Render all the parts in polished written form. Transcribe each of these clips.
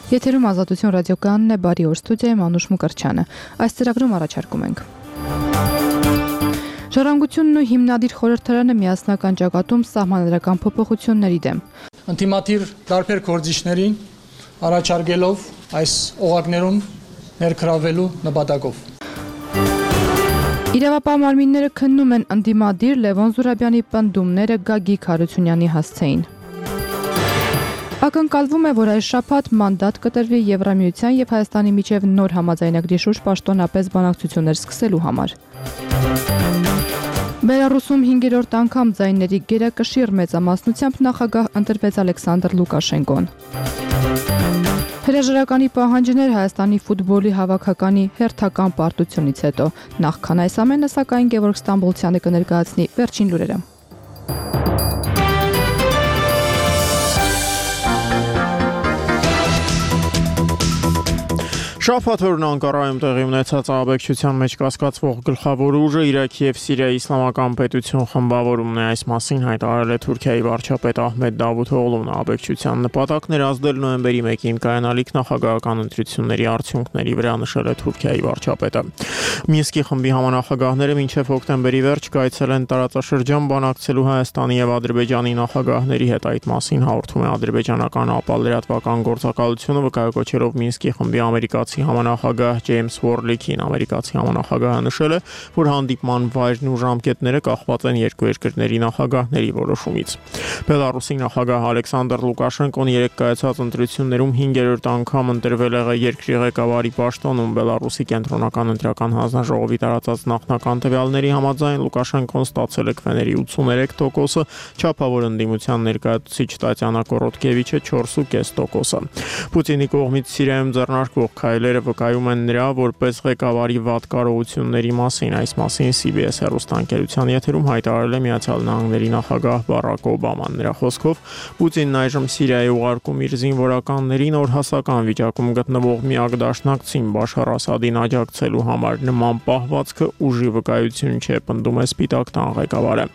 Եթերում Ազատություն ռադիոկայանն է, բարի օր, ստուդիայում Անուշ Մուկրչյանը։ Այս ծրագրում առաջարկում ենք. Ժառանգությունն ու հիմնադիր խորհրդարանը միասնական ճակատում սահմանադրական փոփոխությունների դեմ։ Ընդդիմադիր տարբեր գործիչներին առաջարկելով այս օղակներում ներգրավելու նպատակով։ Իրավապահ մարմինները քննում են ընդդիմադիր Լևոն Զուրաբյանի պնդումները Գագիկ Հարությունյանի հասցեին։ Ակնկալվում է, որ այս շաբաթ մանդատ կտրվի Եվրամիության եւ Հայաստանի միջև նոր համաձայնագրի շուրջ պաշտոնապես բանակցություններ սկսելու համար։ Բելարուսում 5-րդ անգամ ձայների գերակշիռ մեծամասնությամբ նախագահ ընտրվեց Ալեքսանդր Լուկաշենկոն։ Հրաժարականի պահանջներ Հայաստանի ֆուտբոլի հավաքականի հերթական պարտությունից հետո։ Նախքան այս ամենը, սակայն Գևորգ Ստամբոլցյանը կներկայացնի վերջին լուրերը։ Շաբաթ օրն Անկարայում տեղի ունեցած ահաբեկչության մեջ կասկածվող գլխավոր ուժը Իրաքի եւ Սիրիայի իսլամական պետություն խմբավորումն է, այս մասին հայտարարել է Թուրքիայի վարչապետ Ահմեդ Դավութօղլուն։ Ահաբեկչության նպատակն էր ազդել նոյեմբերի 1-ին կայանալիք նախագահական ընտրությունների արդյունքների վրա, նշել է Թուրքիայի վարչապետը։ Մինսկի խմբի համանախագահները մինչև հոկտեմբերի վերջ կայցել են տարածաշրջան բանակցելու Հայաստանի եւ Ադրբեջանի նախագահների հետ, այդ մասին հաղորդում է ադրբեջանական ապալերատվական գործակալությունը, վկայակոչելով Մինսկի խմբի ամերիկացի համանախագահ Ջեյմս Ուորլիքին։ Ամերիկացի համանախագահը նշել է, որ հանդիպման վայրն ու ժամկետները կախված են երկու երկրների նախագահների որոշումից։ Բելարուսի նախագահ Ալեքսանդր Լուկաշենկոն երեկ կայացած ընտրություններում 5-րդ անգամ ընտրվել է երկրի ղեկավարի պաշտոնում։ Բելարուսի կենտրոնական ընտրական հանձնաժողովի տարածած նախնական տվյալների համաձայն Լուկաշենկոն ստացել է քվեների 83%, չափավոր ընդդիմության ներկայացուցիչ Տատյանա Կորոտկևիչը 4.5%։ Պուտինի կողմից Սիրիայում ձեռնարկվող քայլերը վկայում են նրա որպես ղեկավարի վատ կարողությունների մասին։ Այս մասին CBS հեռուստաընկերության եթերում հայտարարել է Միացյալ Նահանգների նախագահ Բարակ Օբաման։ Նրա խոսքով Պուտինն այժմ Սիրիայի ուղարկում իր զինվորականներին օրհասական վիճակում գտնվող միակ դաշնակցին Բաշար Ասադին աջակցելու համար։ Նման պահվածքը ուժի վկայություն չէ, պնդում է Սպիտակ տան ղեկավարը։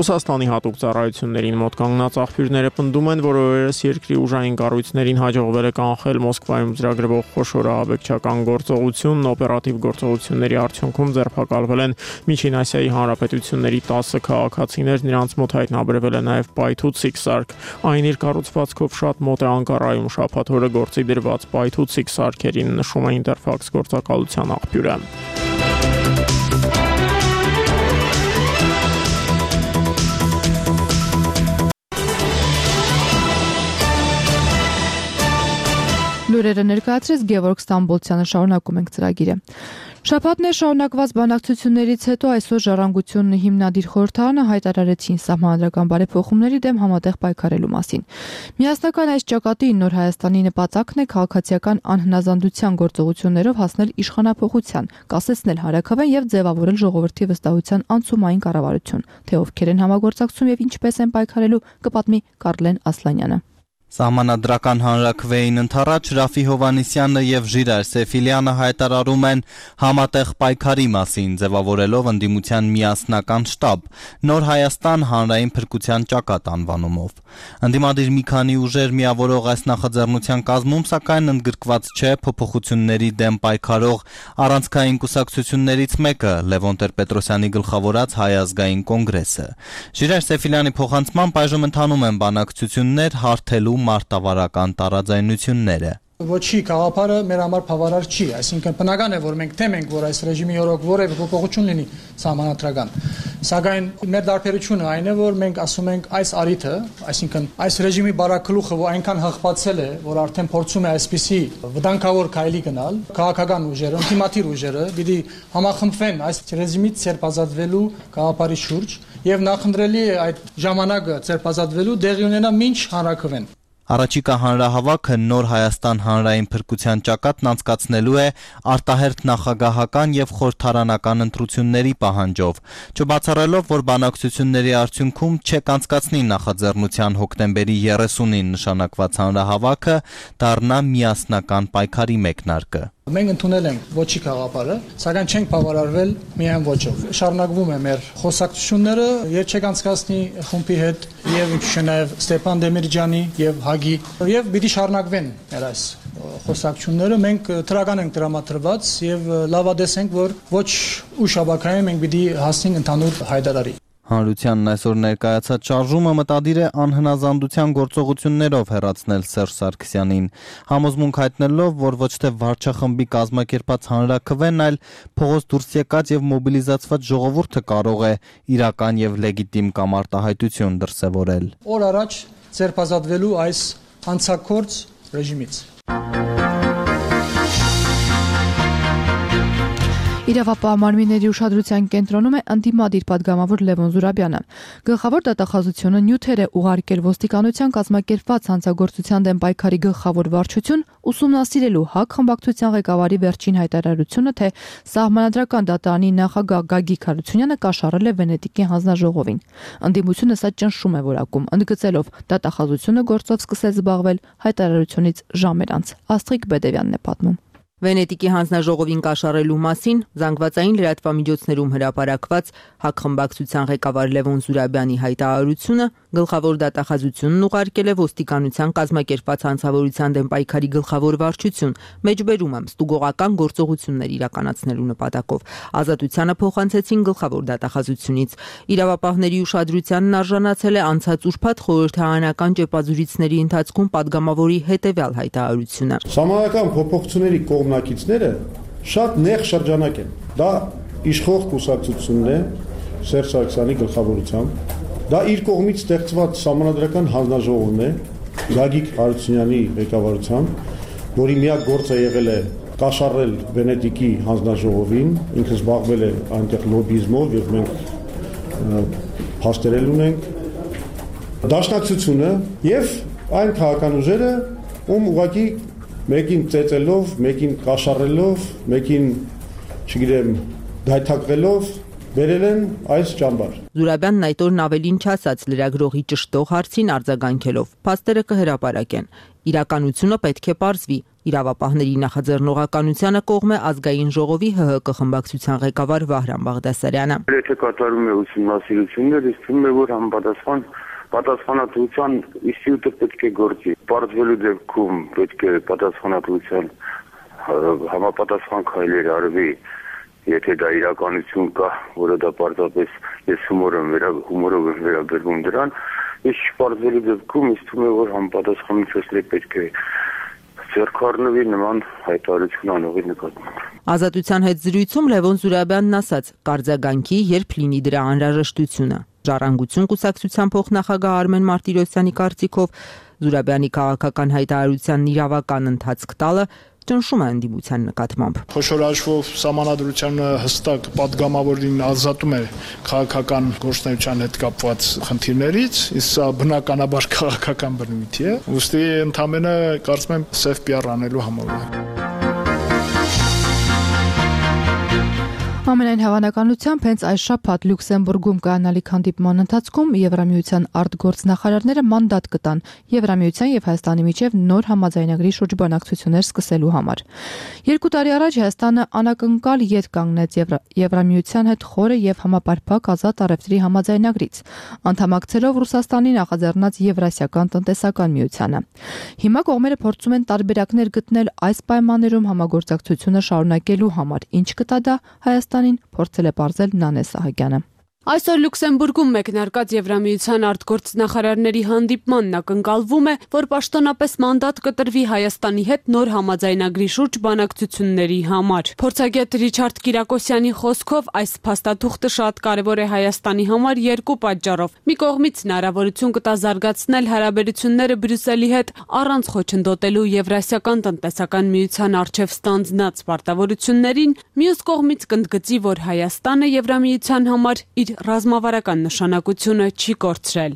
Ռուսաստանի հատուկ ծառայություններին մոտ կանգնած աղբյուրները պնդում են, որ օրերս երկրի ուժային կառույցներին հաջողվել է կանխել Մոսկվայում ծրագրվող խոշոր ահաբեկչական գործողությունն, օպերատիվ գործողությունների արդյունքում ձերբակալվել են Միջին Ասիայի հանրապետությունների 10 քաղաքացիներ, նրանց մոտ հայտնաբերվել է նաև պայթուցիկ սարք։ Այն իր կառուցվածքով շատ մոտ է Անկարայում շաբաթ օրը գործի դրված պայթուցիկ սարքերին, նշում է Ինտերֆաքս գործակալության աղբյուրը։ Լուրերը ներկայացրեց Գևորգ Ստամբոլցյանը, շարունակում ենք ծրագիրը։ Շաբաթներ շարունակված բանակցություններից հետո այսօր Ժառանգությունն ու հիմնադիր խորհրդարանը հայտարարեցին սահմանադրական բարեփոխումների դեմ համատեղ պայքարելու մասին։ Միասնական այս ճակատի նոր Հայաստանի նպատակն է քաղաքացիական անհնազանդության գործողություններով հասնել իշխանափոխության, կասեցնել հանրաքվեն եւ ձևավորել ժողովրդի վստահության անցումային կառավարություն։ Թե ովքեր են համագործակցում եւ ինչպես են պայքարելու, կպատմի Կարլեն Ասլանյանը։ Սահմանադրական հանրաքվեին ընթառաջ Ռաֆի Հովանիսյանը եւ Ժիրայր Սեֆիլյանը հայտարարում են համատեղ պայքարի մասին, ձևավորելով ընդդիմության միասնական շտաբ, Նոր Հայաստան հանրային փրկության ճակատ անվանումով։ Ընդդիմադիր մի քանի ուժեր միավորող այս նախաձեռնության կազմում, սակայն ընդգրկված չէ փոփոխությունների դեմ պայքարող առանցքային կուսակցություններից մեկը՝ Լևոն Տեր-Պետրոսյանի գլխավորած Հայ ազգային կոնգրեսը։ Ժիրայր Սեֆիլյանի փոխանցմամբ այժմ ընթանում են բանակցություններ հարթելու մարտավարական տարաձայնությունները։ Ոչի գաղափարը մեր համար բավարար չի, այսինքն բնական է, որ մենք թեմենք, որ այս ռեժիմի օրոք որևէ փոփոխություն լինի սահմանադրական։ Սակայն մեր դարբերությունը այն է, որ մենք ասում ենք այս արիթը, այսինքն այս ռեժիմի բարակլուխը, որ այնքան հղկվածել է, որ արդեն փորձում է այսպիսի վտանգավոր քայլի գնալ, քաղաքական ուժերը, ինտիմատիր ուժերը պիտի համախմբվեն այս ռեժիմից ցերպազատվելու գաղափարի շուրջ եւ նախընտրելի է այդ ժամանակը ցերպազատվելու դեղի ունենա մինչ հանրաքվեն։ Առաջիկա հանրահավաքը Նոր Հայաստան հանրային փրկության ճակատն անցկացնելու է արտահերթ նախագահական եւ խորհրդարանական ընտրությունների պահանջով, չբացառելով, որ բանակցությունների արդյունքում չկանցկացնի նախաձեռնության հոկտեմբերի 30-ին նշանակված հանրահավաքը դառնա միասնական պայքարի մեկնարկը։ Մենք ընդունել ենք ոչի գաղափարը, սակայն չենք բավարարվել միայն ոչով։ Շարունակվում է մեր խոսակցությունները Երչեկանցկացնի խումբի հետ եւ նաև Ստեփան Դեմիրճյանի եւ Հագի եւ պիտի շարունակվեն մեր այս խոսակցությունները մենք դրական ենք դրամատրված եւ լավադես ենք, որ ոչ ուշաբակային մենք պիտի հասնենք ընդհանուր հայտարարի։ Հանրությանն այսօր ներկայացած շարժումը մտադիր է անհնազանդության գործողություններով հեռացնել Սերժ Սարգսյանին, համոզմունք հայտնելով, որ ոչ թե վարչախմբի կազմակերպած հանրաքվեն, այլ փողոց դուրս եկած եւ մոբիլիզացված ժողովուրդը կարող է իրական եւ լեգիտիմ կամ արտահայտություն դրսեւորել։ Օր առաջ ձերբազատվելու այս հանցակորձ ռեժիմից։ Իրավապահ մարմինների ուշադրության կենտրոնում է ընդդիմադիր պատգամավոր Լևոն Զուրաբյանը։ Գլխավոր դատախազությունը նյութեր է ուղարկել ոստիկանության կազմակերպված հանցագործության դեմ պայքարի գլխավոր վարչություն ուսումնասիրելու ՀԱԿ խմբակցության ղեկավարի վերջին հայտարարությունը, թե Սահմանադրական դատարանի նախագահ Գագիկ Հարությունյանը կաշառել է Վենետիկի հանձնաժողովին։ Ընդդիմությունը սա ճնշում է որակում, ընդգծելով դատախազությունը գործով սկսել զբաղվել հայտարարությունից ժամեր անց։ Աստղիկ Բեդևյանն է պատմում։ Վենետիկի հանձնաժողովին կաշառելու մասին զանգվածային լրատվամիջոցներում հրապարակված ՀԱԿ խմբակցության ղեկավար Լևոն Զուրաբյանի հայտարարությունը գլխավոր դատախազությունն ուղարկել է ոստիկանության կազմակերպված հանցավորության դեմ պայքարի գլխավոր վարչություն, մեջբերում եմ ստուգողական գործողություններ իրականացնելու նպատակով։ Ազատությանը փոխանցեցին գլխավոր դատախազությունից։ Իրավապահների ուշադրությանն արժանացել է անցած ուրբաթ խորհրդարանական ճեպազուրիցների ընթացքում պատգամավորի հետևյալ հայտարարությունը։ Սահմանադրական փոփոխությունների կողմնակիցները շատ նեղ շրջանակ են։ Դա իշխող կուսակցությունն է Սերժ Սարգսյանի գլխավորությամբ։ Դա իր կողմից ստեղծված Սահմանադրական հանձնաժողովն է Գագիկ Հարությունյանի ղեկավարությամբ, որի միակ գործը եղել է կաշառել Վենետիկի հանձնաժողովին, ինքը զբաղվել է այնտեղ լոբիզմով եւ մենք փաստերել ունենք։ Դաշնակցությունը եւ այն քաղաքական ուժերը, ում ուղղակի մեկին ծեծելով, մեկին կաշառելով, մեկին, չգիտեմ, դայթակվելով բերել են այս ճամբար։ Զուրաբյանն այդ օրն ավելին չասաց լրագրողի ճշտող հարցին արձագանքելով։ Փաստերը կհրապարակեն։ Իրականությունը պետք է պարզվի։ Իրավապահների նախաձեռնողականությանը կողմ է Ազգային ժողովի ՀՀԿ խմբակցության ղեկավար Վահրամ Բաղդասարյանը։ Եթե կատարում է ուսումնասիրություններ, իսկ թվում է, որ պատասխանատվության ինստիտուտը պետք է գործի։ Պարզվելու դեպքում պետք է պատասխանատվության համապատասխան քայլեր արվի, եթե դա իրականություն կա, որը դա պարզապես ես հումորով եմ վերաբերվում դրան, իսկ պարզվելու դեպքում ինձ թվում է, որ համապատասխանությունը պետք է ձեռքառնվի նման հայտարարություն անողի նկատմամբ։ Ազատության հետ զրույցում Լևոն Զուրաբյանն ասաց. «Կարձագանքի, երբ լինի դրա անհրաժեշտությունը»։ Ժառանգություն կուսակցության փոխնախագահ Արմեն Մարտիրոսյանի կարծիքով Զուրաբյանի քաղաքական հայտարարությանն իրավական ընթացք տալը ճնշում է ընդդիմության նկատմամբ։ Խոշոր հաշվով Սահմանադրությունը հստակ պատգամավորին ազատում է քաղաքական գործունեության հետ կապված խնդիրներից, իսկ սա բնականաբար քաղաքական բնույթի է։ Ուստի ընդամենը կարծում եմ սև PR անելու համար է։ Ամենայն հավանականությամբ հենց այս շաբաթ Լյուքսեմբուրգում կայանալիք հանդիպման ընթացքում Եվրամիության արտգործնախարարները մանդատ կտան Եվրամիության եւ Հայաստանի միջև նոր համաձայնագրի շուրջ բանակցություններ սկսելու համար։ 2 տարի առաջ Հայաստանը անակնկալ ետ կանգնեց Եվրամիության հետ խորը եւ համապարփակ ազատ առևտրի համաձայնագրից, անդամակցելով Ռուսաստանի նախաձեռնած Եվրասիական տնտեսական միությանը։ Հիմա կողմերը փորձում են տարբերակներ գտնել այս պայմաններում համագործակցությունը շարունակելու համար, ինչ կտա դա Հայաստանին, փորձել է պարզել Նանե Սահակյանը։ Այսօր Լյուքսեմբուրգում մեկնարկած Եվրամիության արտգործնախարարների հանդիպմանն ակնկալվում է, որ պաշտոնապես մանդատ կտրվի Հայաստանի հետ նոր համաձայնագրի շուրջ բանակցությունների համար։ Փորձագետ Ռիչարդ Կիրակոսյանի խոսքով այս փաստաթուղթը շատ կարևոր է Հայաստանի համար երկու պատճառով։ Մի կողմից հնարավորություն կտա զարգացնել հարաբերությունները Բրյուսելի հետ առանց խոչընդոտելու Եվրասիական տնտեսական միության առջև ստանձնած պարտավորություններին, մյուս կողմից կընդգծի, որ Հայաստանը Եվրամիության համար իր ռազմավարական նշանակությունը չի կորցրել։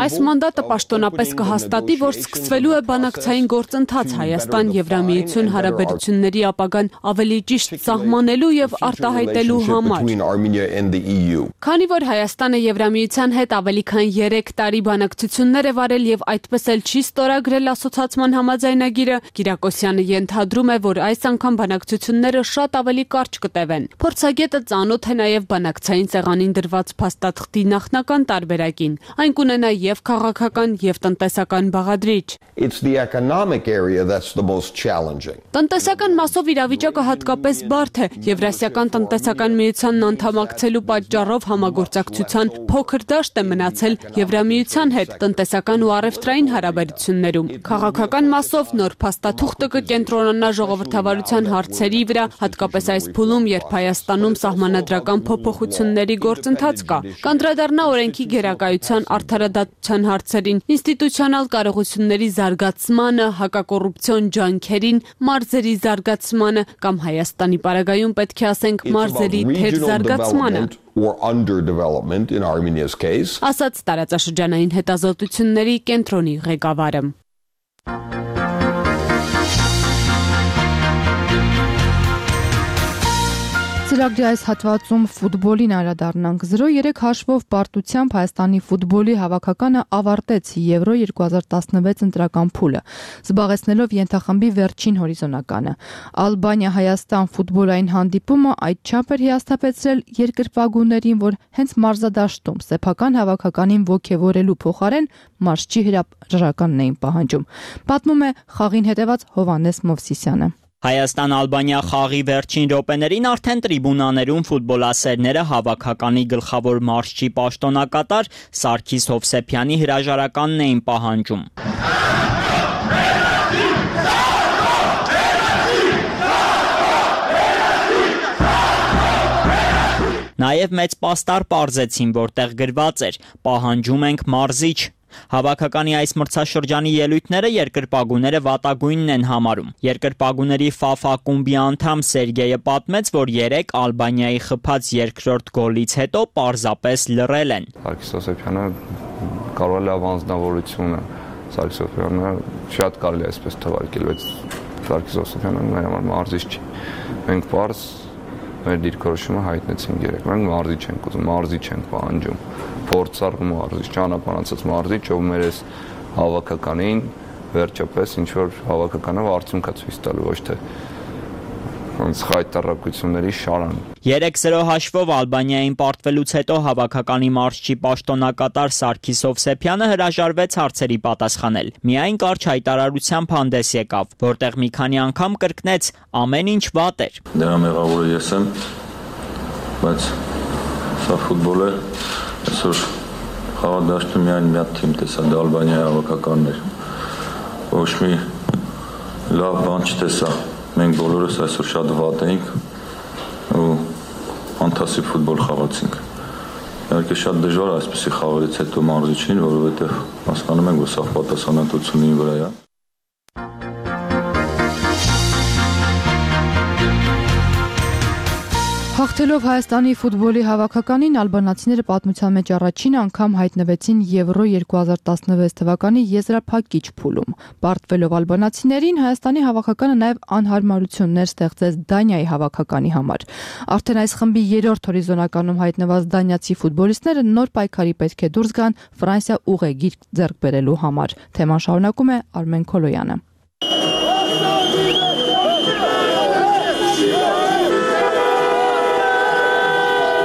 Այս մանդատը պաշտոնապես կհաստատի, որ սկսվելու է բանակցային գործընթաց Հայաստան-Եվրամիություն հարաբերությունների ապագան ավելի ճիշտ սահմանելու եւ արտահայտելու համար։ Քանի որ Հայաստանը Եվրամիության հետ ավելի քան 3 տարի բանակցություններ է վարել եւ այդպես էլ չի ստորագրել ասոցիացիան համաձայնագիրը, Կիրակոսյանը ենթադրում է, որ այս անգամ բանակցությունները շատ ավելի կարճ կտևեն։ Փորձագետը ծանոթ է նաև բանակցային սեղանին դրված փաստաթղթի նախնական տարբերակին։ Այն կունենա եւ քաղաքական եւ տնտեսական բաղադրիչ։ It's the economic area that's the most challenging. Տնտեսական մասով իրավիճակը հատկապես բարդ է։ Եվրասիական տնտեսական միությանն անդամակցելու պատճառով համագործակցության փոքր դաշտ է մնացել Եվրամիության հետ տնտեսական ու առևտրային հարաբերություններում։ Քաղաքական մասով նոր փաստաթուղթը կկենտրոնանա ժողովրդավարության հարցերի վրա, հատկապես այս փուլում, երբ Հայաստանում սահմանադրական փոփոխությունների գործընթաց կա։ Կանդրադառնա օրենքի գերակայության արդարադատության հարցերին, ինստիտուցիոնալ կարողությունների զարգացմանը, հակակոռուպցիոն ջանքերին, մարզերի զարգացմանը կամ Հայաստանի պարագայում պետք է ասենք մարզերի թերզարգացմանը, or underdevelopment in Armenia's case. Ասաց տարածաշրջանային հետազոտությունների կենտրոնի ղեկավարը։ Ծրագրի այս հատվածում ֆուտբոլին անդրադառնանք։ 0-3 հաշվով պարտությամբ Հայաստանի ֆուտբոլի հավաքականը ավարտեց Եվրո 2016 ընտրական փուլը, զբաղեցնելով ենթախմբի վերջին հորիզոնականը։ Ալբանիա-Հայաստան ֆուտբոլային հանդիպումը այդչափ էր հիասթափեցրել երկրպագուներին, որ հենց մարզադաշտում սեփական հավաքականին ոգևորելու փոխարեն մարզչի հրաժարականն էին պահանջում։ Պատմում է խաղին հետևած Հովհաննես Մովսիսյանը։ Հայաստան-Ալբանիա խաղի վերջին րոպեներին արդեն տրիբունաներում ֆուտբոլասերները հավաքականի գլխավոր մարզչի պաշտոնակատար Սարգիս Հովսեփյանի հրաժարականն էին պահանջում։ Նաև մեծ պաստառ պարզեցին, որտեղ գրված էր՝ պահանջում ենք մարզիչ։ Հավաքականի այս մրցաշրջանի ելույթները երկրպագուները վատագույնն են համարում։ Երկրպագուների ՖԱՖ ակումբի անդամ Սերգեյը պատմեց, որ 3 Ալբանիայի խփած երկրորդ գոլից հետո պարզապես լռել են։ Սարգիս Հովսեփյանը կարող է լավ անձնավորություն է։ Սարգիս Հովսեփյանը շատ կարելի է այսպես թվարկել, բայց Սարգիս Հովսեփյանը մեր համար մարզիչ չի։ Մենք պարզ մեր դիրքորոշումը հայտնեցինք երեք։ Մենք մարզիչ ենք ուզում, մարզիչ ենք պահանջում։ Փորձառ մարզիչ, ճանապարհացած մարզիչ, ով մեր այս հավաքականին վերջապես ինչ որ հավաքականը արդյունք է ցույց տալու, ոչ թե ոնց խայտարակությունների շարան։ 3-0 հաշվով Ալբանիային պարտվելուց հետո հավաքականի մարզչի պաշտոնակատար Սարգիս Հովսեփյանը հրաժարվեց հարցերի պատասխանել։ Միայն կարճ հայտարարությամբ հանդես եկավ, որտեղ մի քանի անգամ կրկնեց ամեն ինչ վատ էր։ Դրա մեղավորը ես եմ, բայց սա ֆուտբոլ է, այսօր խաղադաշտում միայն մի հատ թիմ տեսա, դա Ալբանիայի հավաքականն էր։ Ոչ մի լավ բան չտեսա։ Մենք բոլորս այսօր շատ վատ էինք ու ֆանտաստիկ ֆուտբոլ խաղացինք։ Իհարկե շատ դժվար է այսպեսի խաղերից հետո մարզիչին, որովհետև հասկանում ենք, որ սա պատասխանատվությունի վրա է։ Հաղթելով Հայաստանի ֆուտբոլի հավաքականին ալբանացիները պատմության մեջ առաջին անգամ հայտնվեցին Եվրո 2016 թվականի եզրափակիչ փուլում։ Պարտվելով ալբանացիներին Հայաստանի հավաքականը նաև անհարմարություններ ստեղծեց Դանիայի հավաքականի համար։ Արդեն այս խմբի 3-րդ հորիզոնականում հայտնված դանիացի ֆուտբոլիստները նոր պայքարի պետք է դուրս գան Ֆրանսիա ուղեգիր ձեռք բերելու համար։ Թեման շարունակում է Արմեն Քոլոյանը։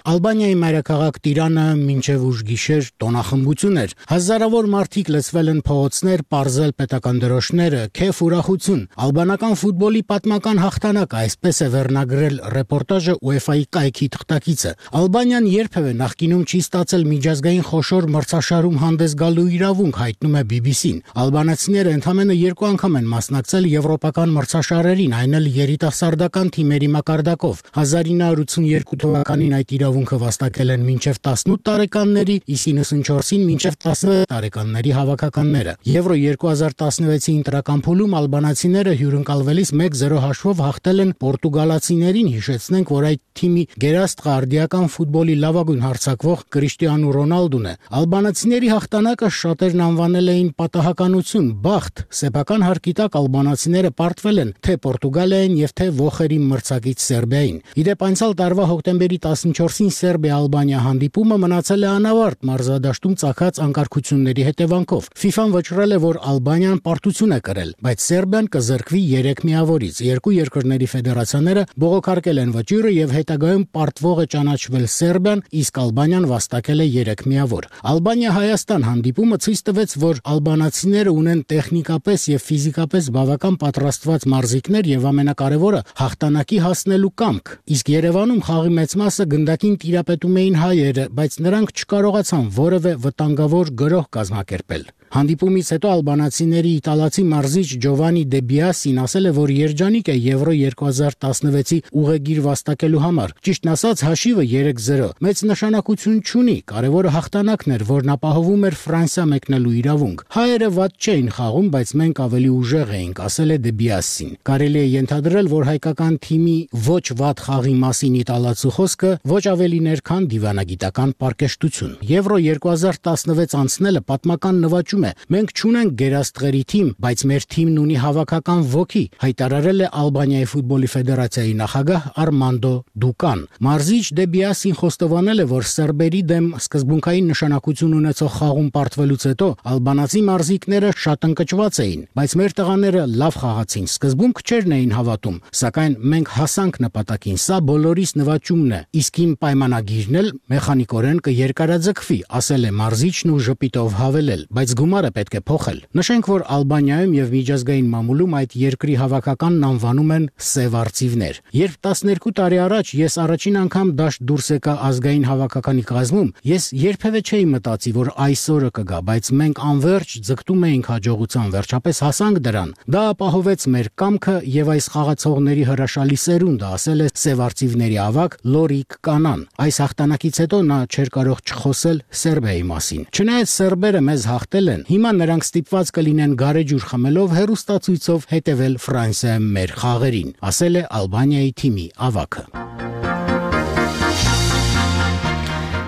Ալբանիայի մայրաքաղաք Տիրանը մինչև ուշ գիշեր տոնախմբություն էր։ Հազարավոր մարդիկ լցվել են փողոցներ, պարզել պետական դրոշները, քեֆ ուրախություն։ Ալբանական ֆուտբոլի պատմական հաղթանակը, այսպես է վերնագրել ռեպորտաժը UEFA-ի կայքի թղթակիցը։ Ալբանիան երբևէ նախկինում չի ստացել միջազգային խոշոր մրցաշարում հանդես գալու իրավունք, հայտնում է BBC-ն։ Ալբանացիները ընդամենը 2 անգամ են մասնակցել եվրոպական մրցաշարերին, այն էլ երիտասարդական թիմերի մակարդակով։ 1982 թվականին այդ իրավունքը վաստակել են մինչև 18 տարեկանների, իսկ 94-ին մինչև 16 տարեկանների հավաքականները։ Եվրո 2016-ի ընտրական փուլում ալբանացիները հյուրընկալվելիս 1-0 հաշվով հաղթել են պորտուգալացիներին, հիշեցնենք, որ այդ թիմի գերաստղ արդիական ֆուտբոլի լավագույն հարձակվող Կրիշտիանու Ռոնալդուն է։ Ալբանացիների հաղթանակը շատերն անվանել էին պատահականություն, բախտ։ Սեփական հարկի տակ ալբանացիները պարտվել են թե Պորտուգալիային եւ թե ոխերի մրցակից Սերբիային։ Իդեպ անցյալ տարվա հոկտեմբերի 14-ին մասին Սերբիա-Ալբանիա հանդիպումը մնացել է անավարտ մարզադաշտում ծագած անկարգությունների հետևանքով։ FIFA-ն վճռել է, որ Ալբանիան պարտություն է կրել, բայց Սերբիան կզրկվի 3 միավորից։ Երկու երկրների ֆեդերացիաները բողոքարկել են վճիռը եւ հետագայում պարտվող է ճանաչվել Սերբիան, իսկ Ալբանիան վաստակել է 3 միավոր։ Ալբանիա-Հայաստան հանդիպումը ցույց տվեց, որ ալբանացիները ունեն տեխնիկապես եւ ֆիզիկապես բավական պատրաստված մարզիկներ եւ ամենակարևորը հաղթանակի հասնելու կամք։ Իսկ Երևանում խաղի մեծ մասը գնդակին տիրապետում էին հայերը, բայց նրանք չկարողացան որևէ վտանգավոր գրոհ կազմակերպել։ Հանդիպումից հետո ալբանացիների իտալացի մարզիչ Ջովանի Դե Բիասին ասել է, որ երջանիկ է Եվրո 2016-ի ուղեգիր վաստակելու համար։ Ճիշտն ասած, հաշիվը 3-0 մեծ նշանակություն չունի, կարևորը հաղթանակն էր, որն ապահովում էր Ֆրանսիա մեկնելու իրավունք։ Հայերը վատ չէին խաղում, բայց մենք ավելի ուժեղ էինք, ասել է Դե Բիասին։ Կարելի է ենթադրել, որ հայկական թիմի ոչ վատ խաղի մասին իտալացու խոսքը ոչ ավելին էր, քան դիվանագիտական պարկեշտություն։ Եվրո 2016 անցնելը պատմական նվաճում է։ Մենք չունենք գերաստղերի թիմ, բայց մեր թիմն ունի հավաքական ոգի, հայտարարել է Ալբանիայի ֆուտբոլի ֆեդերացիայի նախագահ Արմանդո Դուկան։ Մարզիչ Դե Բիասին խոստովանել է, որ սերբերի դեմ սկզբունքային նշանակություն ունեցող խաղում պարտվելուց հետո ալբանացի մարզիկները շատ ընկճված էին, բայց մեր տղաները լավ խաղացին, սկզբում քչերն էին հավատում, սակայն մենք հասանք նպատակին, սա բոլորիս նվաճումն է, իսկ իմ պայմանագիրն էլ մեխանիկորեն կերկարաձգվի, ասել է մարզիչն ու ժպիտով հավելել, բայց գումարը պետք է փոխել։ Նշենք, որ Ալբանիայում եւ միջազգային մամուլում այդ երկրի հավաքականն անվանում են սև արծիվներ։ Երբ 12 տարի առաջ ես առաջին անգամ դաշտ դուրս եկա ազգային հավաքականի կազմում, ես երբևէ չէի մտածի, որ այսօրը կգա, բայց մենք անverջ ձգտում էինք հաջողության, վերջապես հասանք դրան։ Դա ապահովեց մեր կամքը եւ այս խաղացողների հրաշալի սերունդը, ասել է սև արծիվների ավագ Լորիկ Կանան։ Այս հաղթանակից հետո նա չէր կարող չխոսել Սերբիայի մասին։ Չնայած սերբերը մեզ հաղթել են, հիմա նրանք ստիպված կլինեն գարեջուր խմելով հեռուստացույցով հետևել Ֆրանսիայում մեր խաղերին, ասել է Ալբանիայի թիմի ավագը։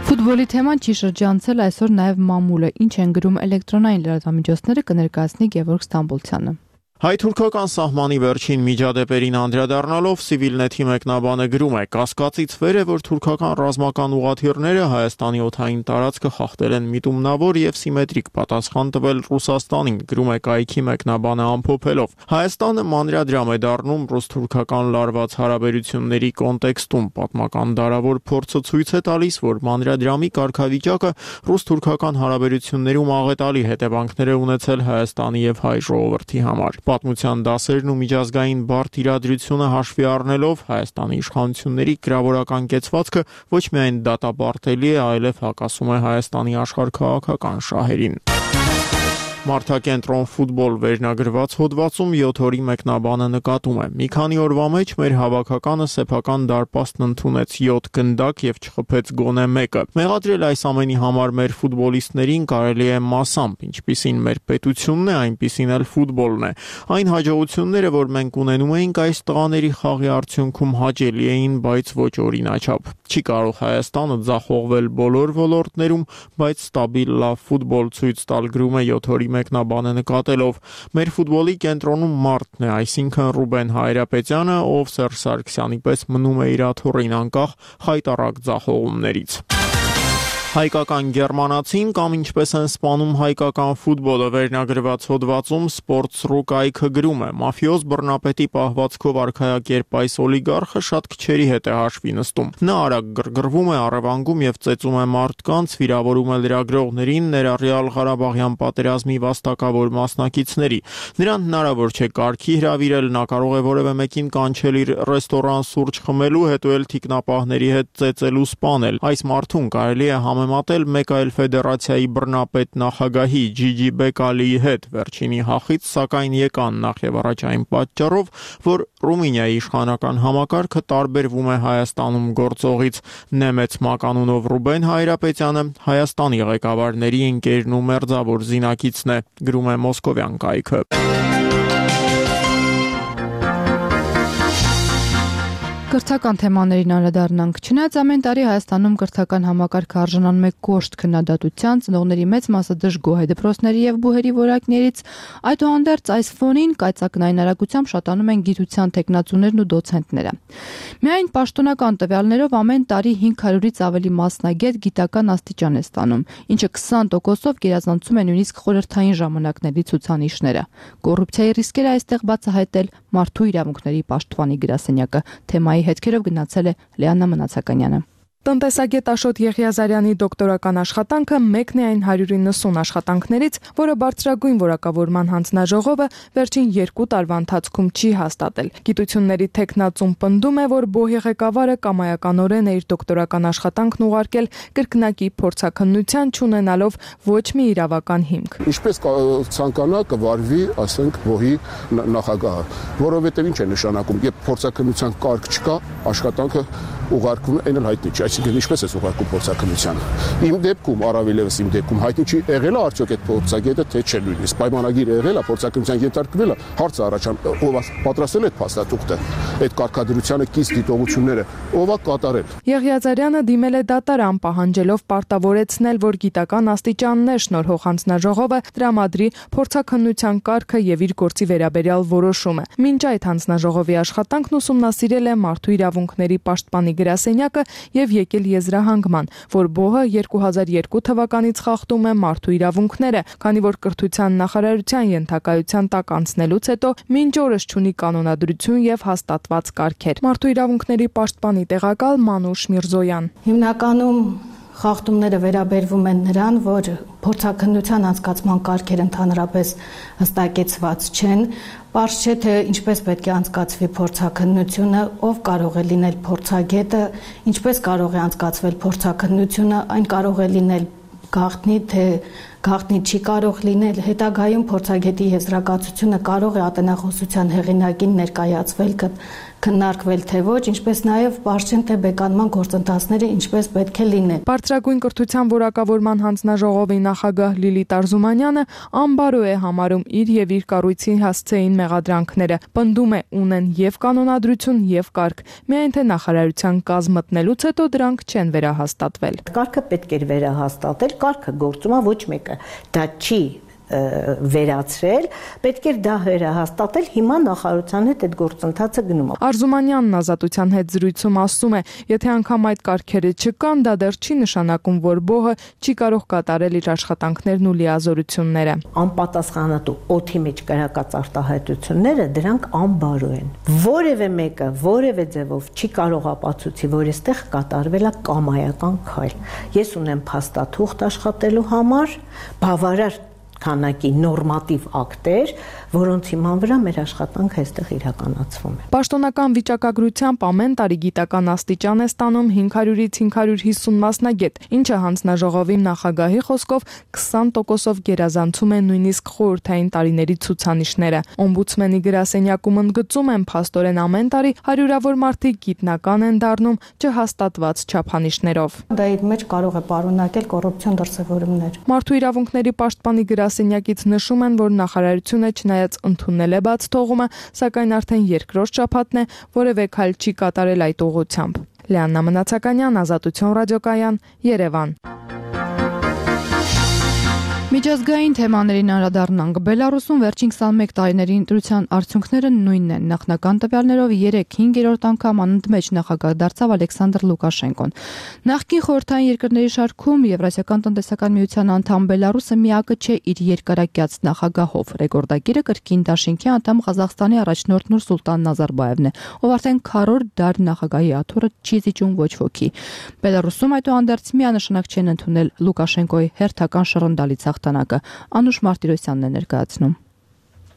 Ֆուտբոլի թեման չի շրջանցել այսօր նաև մամուլը, ինչ են գրում էլեկտրոնային լրատվամիջոցները, կներկայացնի Գևորգ Ստամբոլցյանը։ Հայ-թուրքական սահմանի վերջին միջադեպերին անդրադառնալով Civilnet-ի մեկնաբանը գրում է. կասկածից վեր է, որ թուրքական ռազմական ուղղաթիռները Հայաստանի օդային տարածքը խախտել են միտումնավոր եւ սիմետրիկ պատասխան տվել Ռուսաստանին, գրում է կայքի մեկնաբանը ամփոփելով։ Հայաստանը մանրադրամ է դառնում ռուս-թուրքական լարված հարաբերությունների կոնտեքստում, պատմական դարավոր փորձը ցույց է տալիս, որ մանրադրամի կարգավիճակը ռուս-թուրքական հարաբերություններում աղետալի հետևանքներ է ունեցել Հայաստանի եւ հայ ժողովրդի համար։ Պատմության դասերն ու միջազգային բարդ իրադրությունը հաշվի առնելով Հայաստանի իշխանությունների գրավորական կեցվածքը ոչ միայն դատապարտելի է, այլև հակասում է Հայաստանի աշխարհքաղաքական շահերին։ Մարդակենտրոն ֆուտբոլ վերնագրված հոդվածում 7 օրի մեկնաբանը նկատում է. մի քանի օրվա մեջ մեր հավաքականը սեփական դարպասն ընդունեց 7 գնդակ եւ չխփեց գոնե մեկը։ Մեղադրել այս ամենի համար մեր ֆուտբոլիստներին կարելի է մասամբ, ինչպիսին մեր պետությունն է, այնպիսին էլ ֆուտբոլն է։ Այն հաջողությունները, որ մենք ունենում էինք այս տղաների խաղի արդյունքում հաճելի էին, բայց ոչ օրինաչափ։ Չի կարող Հայաստանը ձախողվել բոլոր ոլորտներում, բայց ստաբիլ լավ ֆուտբոլ ցույց տալ, գրում է 7 օրի մեկնաբանը նկատելով։ Մեր ֆուտբոլի կենտրոնում մարդն է, այսինքն Ռուբեն Հայրապետյանը, ով Սերժ Սարգսյանի պես մնում է իր աթոռին անկախ խայտառակ ձախողումներից։ Հայկական գերմանացին կամ ինչպես են սպանում հայկական ֆուտբոլը վերնագրված հոդվածում Sports.ru կայքը գրում է. մաֆիոզ բռնապետի պահվածքով արքայակերպ այս օլիգարխը շատ քչերի հետ է հաշվի նստում։ Նա արագ գրգռվում է, առևանգում եւ ծեծում է մարդկանց, վիրավորում է լրագրողներին, ներառյալ Ղարաբաղյան պատերազմի վաստակավոր մասնակիցների։ Նրան հնարավոր չէ կարգի հրավիրել, նա կարող է որևէ մեկին կանչել իր ռեստորան սուրճ խմելու, հետո էլ թիկնապահների հետ ծեծելու սպանել։ Այս մարդուն կարելի է համեմատել մեկ այլ ֆեդերացիայի բռնապետ նախագահի Ջիջի Բեկալիի հետ, վերջինի հախից սակայն եկան նախ եւ առաջ այն պատճառով, որ Ռումինիայի իշխանական համակարգը տարբերվում է Հայաստանում գործողից։ Նեմեց մականունով Ռուբեն Հայրապետյանը Հայաստանի ղեկավարների ընկերն ու մերձավոր զինակիցն է, գրում է Մոսկովյան կայքը։ Կրթական թեմաներին անդրադառնանք։ Չնայած ամեն տարի Հայաստանում կրթական համակարգը արժանանում է կոշտ քննադատության, ծնողների մեծ մասը դժգոհ է դպրոցների եւ բուհերի որակներից, այդուհանդերձ այս ֆոնին կայծակնային արագությամբ շատանում են գիտության տեխնացուներն ու դոցենտները։ Միայն պաշտոնական տվյալներով ամեն տարի 500-ից ավելի մասնագետ գիտական աստիճան է ստանում, ինչը 20%-ով գերազանցում է նույնիսկ խորհրդային ժամանակների ցուցանիշները։ Կոռուպցիայի ռիսկերը այստեղ բացահայտել մարդու իրավունքների պաշտպանի գրասենյակը թեմայի հետքերով գնացել է Լեաննա Մնացականյանը։ Տնտեսագետ Աշոտ Եղիազարյանի դոկտորական աշխատանքը մեկն է այն 190 աշխատանքներից, որը բարձրագույն որակավորման հանձնաժողովը վերջին 2 տարվա ընթացքում չի հաստատել։ Գիտությունների տեխնացուն պնդում է, որ բոհի ղեկավարը կամայականորեն է իր դոկտորական աշխատանքն ուղարկել կրկնակի փորձաքննության չունենալով ոչ մի իրավական հիմք։ Ինչպես ցանկանա կվարվի, ասենք, բոհի նախագահը, որովհետև ինչ է նշանակում, երբ փորձաքննության կարգ չկա, աշխատանքը ուղարկվում այն էլ հայտնի չի, այսինքն ինչպես է ուղարկում փորձաքննության։ Իմ դեպքում, առավել եւս իմ դեպքում հայտնի չի եղել է արդյոք այդ փորձագետը թե չէ նույնիսկ պայմանագիր եղել է փորձաքննության ենթարկվել է, հարց առաջան ով պատրաստել այդ փաստաթուղթը, այդ կարգադրությանը կից դիտողությունները ով է կատարել։ Եղիազարյանը դիմել է դատարան պահանջելով պարտավորեցնել, որ գիտական աստիճաններ շնորհող հանձնաժողովը տրամադրի փորձաքննության կարգը եւ իր գործի վերաբերյալ որոշումը։ Մինչ այդ հանձնաժողովի աշխատանքն ուսումնասիրել է մարդու իրավունքների պաշտպանի գրասենյակը եւ եկել եզրահանգման, որ բոհը 2002 թվականից խախտում է մարդու իրավունքները, քանի որ կրթության նախարարության ենթակայության տակ անցնելուց հետո մինչ օրս չունի կանոնադրություն եւ հաստատված կարգեր։ Մարդու իրավունքների պաշտպանի տեղակալ Մանուշ Միրզոյան։ Հիմնականում խախտումները վերաբերվում են նրան, որ փորձաքննության անցկացման կարգերը ընդհանրապես հստակեցված չեն, պարզ չէ թե ինչպես պետք է անցկացվի փորձաքննությունը, ով կարող է լինել փորձագետը, ինչպես կարող է անցկացվել փորձաքննությունը, այն կարող է լինել գաղտնի, թե գաղտնի չի կարող լինել, հետագայում փորձագետի եզրակացությունը կարող է ատենախոսության հեղինակին ներկայացվել, քննարկվել թե ոչ, ինչպես նաև բարձրին թե բեկանման գործընթացները ինչպես պետք է լինեն։ Բարձրագույն կրթության որակավորման հանձնաժողովի նախագահ Լիլիթ Արզումանյանը անբարո է համարում իր եւ իր կառույցի հասցեին մեղադրանքները, պնդում է ունեն եւ կանոնադրություն եւ կարգ, միայն թե նախարարության կազմ մտնելուց հետո դրանք չեն վերահաստատվել։ Կարգը պետք էր վերահաստատել, կարգը գործում է, ոչ մեկը դա չի վերացրել, պետք էր դա վերահաստատել, հիմա նախարարության հետ այդ գործընթացը գնում է։ Արզումանյանն Ազատության հետ զրույցում ասում է, եթե անգամ այդ կարգերը չկան, դա դեռ չի նշանակում, որ բոհը չի կարող կատարել իր աշխատանքներն ու լիազորությունները։ Անպատասխանատու օդի մեջ կրակած արտահայտությունները դրանք անբարո են։ Որևէ մեկը, որևէ ձևով չի կարող ապացուցի, որ այստեղ կատարվել է կամայական քայլ։ Ես ունեմ փաստաթուղթ աշխատելու համար, բավարար քանակի նորմատիվ ակտեր, որոնց հիման վրա մեր աշխատանքը այստեղ իրականացվում է։ Պաշտոնական վիճակագրությամբ ամեն տարի գիտական աստիճան է ստանում 500-ից 550 մասնագետ, ինչը հանձնաժողովի նախագահի խոսքով 20%-ով գերազանցում է նույնիսկ խորհրդային տարիների ցուցանիշները։ Օմբուդսմենի գրասենյակում ընդգծում են փաստորեն ամեն տարի հարյուրավոր մարդիկ գիտնական են դառնում չհաստատված չափանիշներով։ Դա իր մեջ կարող է պարունակել կոռուպցիոն դրսևորումներ։ Մարդու իրավունքների պաշտպանի գրասենյակից նշում են, որ նախարարությունը չնայած ընդունել է բաց թողումը, սակայն արդեն երկրորդ շաբաթն է, որևէ քայլ չի կատարել այդ ուղղությամբ։ Լեաննա Մնացականյան, Ազատություն ռադիոկայան, Երևան։ Միջազգային թեմաներին անդրադառնանք։ Բելարուսում վերջին 21 տարիների ընտրության արդյունքները նույնն են։ Նախնական տվյալներով 3-5-րդ անգամ անընդմեջ նախագահ դարձավ Ալեքսանդր Լուկաշենկոն։ Նախկին խորհրդային երկրների շարքում Եվրասիական տնտեսական միության անդամ Բելարուսը միակը չէ իր երկարակյաց նախագահով։ Ռեկորդակիրը կրկին դաշինքի անդամ Ղազախստանի առաջնորդ Նուրսուլտան Նազարբաևն է, ով արդեն քառորդ դար նախագահի աթոռը չի զիջում ոչ ոքի։ Բելարուսում այդուհանդերձ միանշանակ չեն ընդունել Լուկաշենկոյի հերթական շռնդալից հաղթանակը։ Անուշ Մարտիրոսյանն է ներկայացնում։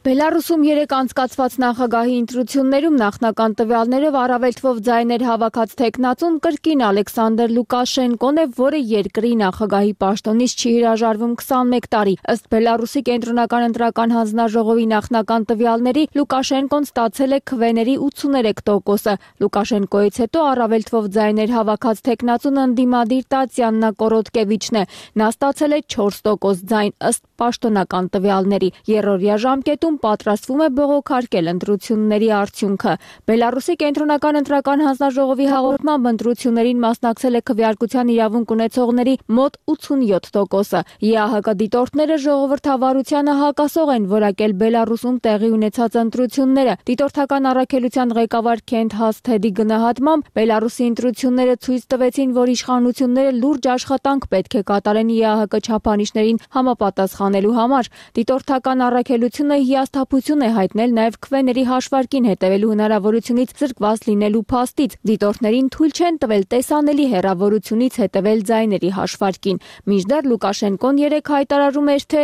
Բելարուսում 3 անցկացված նախագահի ընտրություններում նախնական տվյալներով առավել թվով ձայներ հավաքած տեխնացուն կրկին Ալեքսանդր Լուկաշենկոն է, որը երկրի նախագահի պաշտոնից չի հրաժարվում 21 տարի։ Ըստ Բելարուսի կենտրոնական ընտրական հանձնաժողովի նախնական տվյալների Լուկաշենկոն ստացել է քվեների 83%-ը։ Լուկաշենկոից հետո առավել թվով ձայներ հավաքած տեխնացուն ընդդիմադիր Տատյաննա Կորոտկևիչն է։ Նա ստացել է 4% ձայն ըստ պաշտոնական տվյալների։ Երրորդյա ժամկետում նիստում պատրաստվում է բողոքարկել ընտրությունների արդյունքը։ Բելարուսի կենտրոնական ընտրական հանձնաժողովի հաղորդմամբ ընտրություններին մասնակցել է քվեարկության իրավունք ունեցողների մոտ 87%-ը։ ԵԱՀԿ դիտորդները ժողովրդավարությանը հակասող են որակել Բելարուսում տեղի ունեցած ընտրությունները։ Դիտորդական առաքելության ղեկավար Քենթ Հասթեդի գնահատմամբ Բելարուսի ընտրությունները ցույց տվեցին, որ իշխանությունները լուրջ աշխատանք պետք է կատարեն ԵԱՀԿ չափանիշներին համապատասխանելու համար։ Դիտորդական առաքելությունը հիասթափություն է հայտնել նաև քվեների հաշվարկին հետևելու հնարավորությունից զրկված լինելու փաստից։ Դիտորդներին թույլ չեն տվել տեսանելի հեռավորությունից հետևել ձայների հաշվարկին։ Մինչդեռ Լուկաշենկոն երեկ հայտարարում էր, թե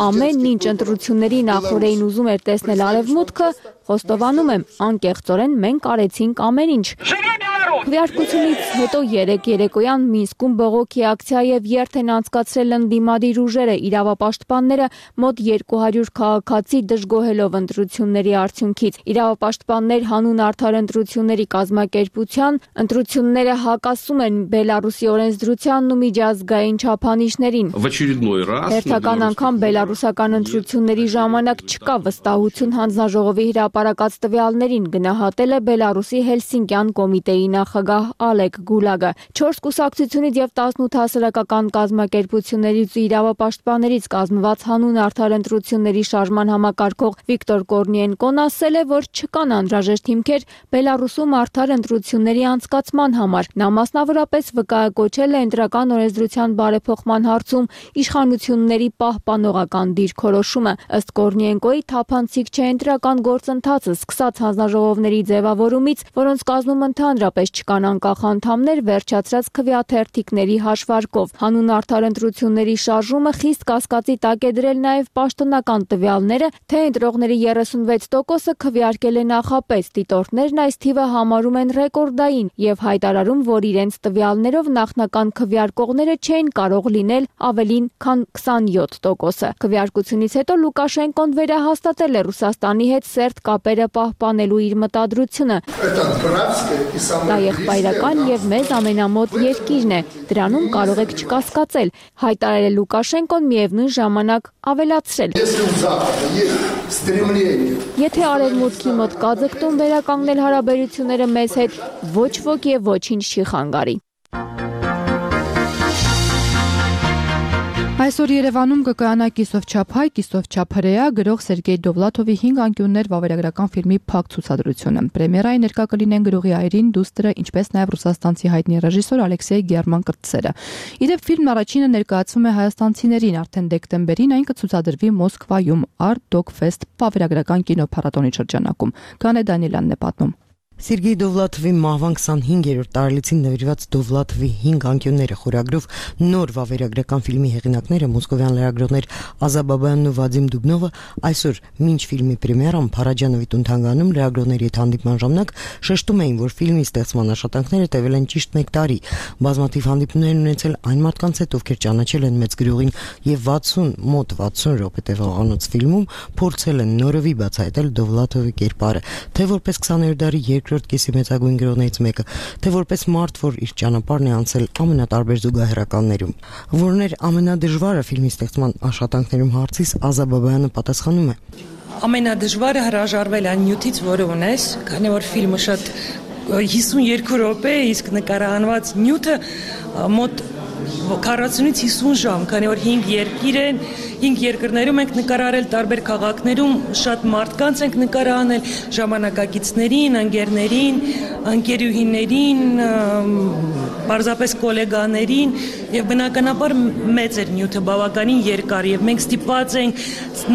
ամեն ինչ ընտրությունների նախօրեին ուզում էր տեսնել Արևմուտքը, խոստովանում եմ, անկեղծորեն մենք արեցինք ամեն ինչ։ Քվեարկությունից հետո երեկ երեկոյան Մինսկում բողոքի ակցիա եւ երթ են անցկացրել ընդդիմադիր ուժերը, իրավապաշտպանները մոտ 200 քաղաքացի դժգոհելով ընտրությունների արդյունքից։ Իրավապաշտպաններ հանուն արդար ընտրությունների կազմակերպության ընտրությունները հակասում են Բելարուսի օրենսդրությանն ու միջազգային չափանիշներին։ Հերթական անգամ բելարուսական ընտրությունների ժամանակ չկա վստահություն հանձնաժողովի հրապարակած տվյալներին, գնահատել է Բելարուսի Հելսինկյան կոմիտեի նախագահ Ալեկ Գուլագը։ 4 կուսակցությունից եւ 18 հասարակական կազմակերպություններից ու իրավապաշտպաններից կազմված հանուն արդար ընտրությունների շարժման համակարգող Վիկտոր Կորնիենկոն ասել է, որ չկան անհրաժեշտ հիմքեր Բելարուսում արդար ընտրությունների անցկացման համար։ Նա մասնավորապես վկայակոչել է ընտրական օրենսդրության բարեփոխման հարցում իշխանությունների պահպանողական դիրքորոշումը։ Ըստ Կորնիենկոյի թափանցիկ չէ ընտրական գործընթացը սկսած հանձնաժողովների ձևավորումից, որոնց կազմում ընդհանրապես չկան անկախ անդամներ, վերջացրած քվեաթերթիկների հաշվարկով։ Հանուն արդար ընտրությունների շարժումը խիստ կասկածի տակ է դրել նաև պաշտոնական տվյալները, թե ընտրողների 36%-ը քվեարկել է նախապես։ Դիտորդներն այս թիվը համարում են ռեկորդային եւ հայտարարում, որ իրենց տվյալներով նախնական քվեարկողները չէին կարող լինել ավելին քան 27%-ը։ Քվեարկությունից հետո Լուկաշենկոն վերահաստատել է Ռուսաստանի հետ սերտ կապերը պահպանելու իր մտադրությունը։ Դա եղբայրական եւ մեզ ամենամոտ երկիրն է։ Դրանում կարող եք չկասկածել, հայտարարել Լուկաշենկոն միևնույն ժամանակ ավելացրել։ Եթե Արևմուտքի մոտ կա ձգտում վերականգնել հարաբերությունները մեզ հետ, ոչ ոք եւ ոչինչ չի խանգարի։ Այսօր Երևանում կկայանա կիսով-չափ հայ, կիսով-չափ հրեա գրող Սերգեյ Դովլաթովի 5 անկյուններ վավերագրական ֆիլմի փակ ցուցադրությունը։ Պրեմիերայի ներկա կլինեն գրողի այրին, դուստրը, ինչպես նաև ռուսաստանցի հայտնի ռեժիսոր Ալեքսեյ Գերման-Կրտսերը։ Իդեպ ֆիլմն առաջինը ներկայացվում է հայաստանցիներին, արդեն դեկտեմբերին այն կցուցադրվի Մոսկվայում Art Dog Fest վավերագրական կինոփառատոնի շրջանակում։ Կանե Դանիելյանն է պատմում։ Սերգեյ Դովլաթովի մահվան 25-րդ տարելիցին նվիրված Դովլաթովի 5 անկյունները խորագրով նոր վավերագրական ֆիլմի հեղինակները մոսկովյան լրագրողներ Ազա Բաբայանն ու Վադիմ Դուբնովը այսօր մինչ ֆիլմի պրեմիերան Փարաջանովի տուն-թանգարանում լրագրողների հետ հանդիպման ժամանակ շեշտում էին, որ ֆիլմի ստեղծման աշխատանքները տևել են ճիշտ 1 տարի։ Բազմաթիվ հանդիպումներ են ունեցել այն մարդկանց հետ, ովքեր ճանաչել են մեծ գրողին եւ մոտ 60 րոպե տևողանոց ֆիլմում փորձել են նորովի բացահայտել Դովլաթովի կերպարը, թե որպես 20-րդ դարի երկրորդ կեսի մեծագույն գրողներից մեկը, թե որպես մարդ, որ իր ճանապարհն է անցել ամենատարբեր զուգահեռականներում։ Որն էր ամենադժվարը ֆիլմի ստեղծման աշխատանքներում հարցից Ազա Բաբայանը պատասխանում է. Ամենադժվարը հրաժարվել այն նյութից, որը ունես, քանի որ ֆիլմը շատ 52 րոպե է, իսկ նկարահանված նյութը մոտ 40-ից 50 ժամ, քանի որ 5 երկիր են, 5 երկրներում ենք նկարահարել, տարբեր քաղաքներում շատ մարդկանց ենք նկարահանել, ժամանակակիցներին, ընկերներին, ընկերուհիներին, պարզապես գոլեգաներին եւ բնականաբար մեծ էր նյութը բավականին երկար եւ մենք ստիպված ենք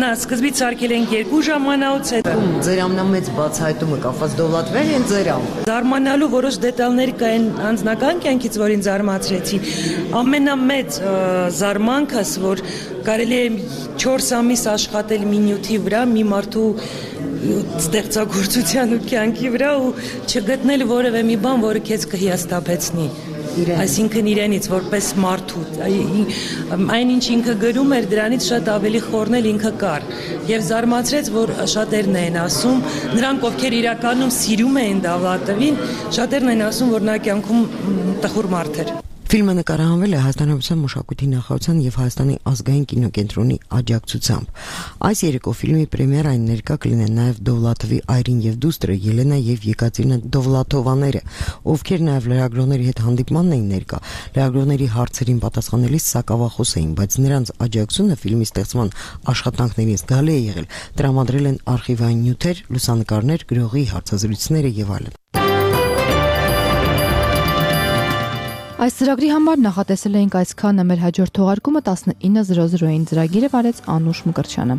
սկզբից սարքել ենք 2 ժամանակ, հետո ձեր ամենամեծ բացահայտումը կապված Դովլաթվեր են ձերամ։ Զարմանալու որոշ դետալներ կային անձնական կյանքից, որին զարմացրեցին։ Ամենամեծ զարմանքս, որ կարելի է 4 ամիս աշխատել մի նյութի վրա, մի մարդու ստեղծագործության ու կյանքի վրա ու չգտնել որևէ մի բան, որը քեզ կհիասթափեցնի։ Այսինքն իրենից որպես մարդու այն ինչ ինքը գրում էր, դրանից շատ ավելի խորնել ինքը կար եւ զարմացրեց, որ շատերն են ասում, նրանք ովքեր իրականում սիրում էին Դովլաթովին, շատերն են ասում, որ նա կյանքում տխուր մարդ էր։ Ֆիլմը նկարահանվել է Հայաստանյան մշակույթի նախարարության եւ Հայաստանի ազգային կինոկենտրոնի աջակցությամբ։ Այս երեկո ֆիլմի պրեմիերային ներկա կլինեն նաեւ Դովլաթովի այրին եւ դուստրը Ելենա եւ Եկատերինա Դովլաթովաները, ովքեր նաեւ լրագրողների հետ հանդիպմանն էին ներկա։ Լրագրողների հարցերին պատասխանելիս սակավախոս էին, բայց նրանց աջակցությունը ֆիլմի ստեղծման աշխատանքներին զգալի է եղել։ Տրամադրել են արխիվային նյութեր, լուսանկարներ, գրողի հարցազրույցները եւ այլն։ Այս ծրագրի համար նախատեսել էինք այսքանը, մեր հաջորդ թողարկումը 19:00-ին ծրագիրը վարեց Անուշ Մկրտչյանը։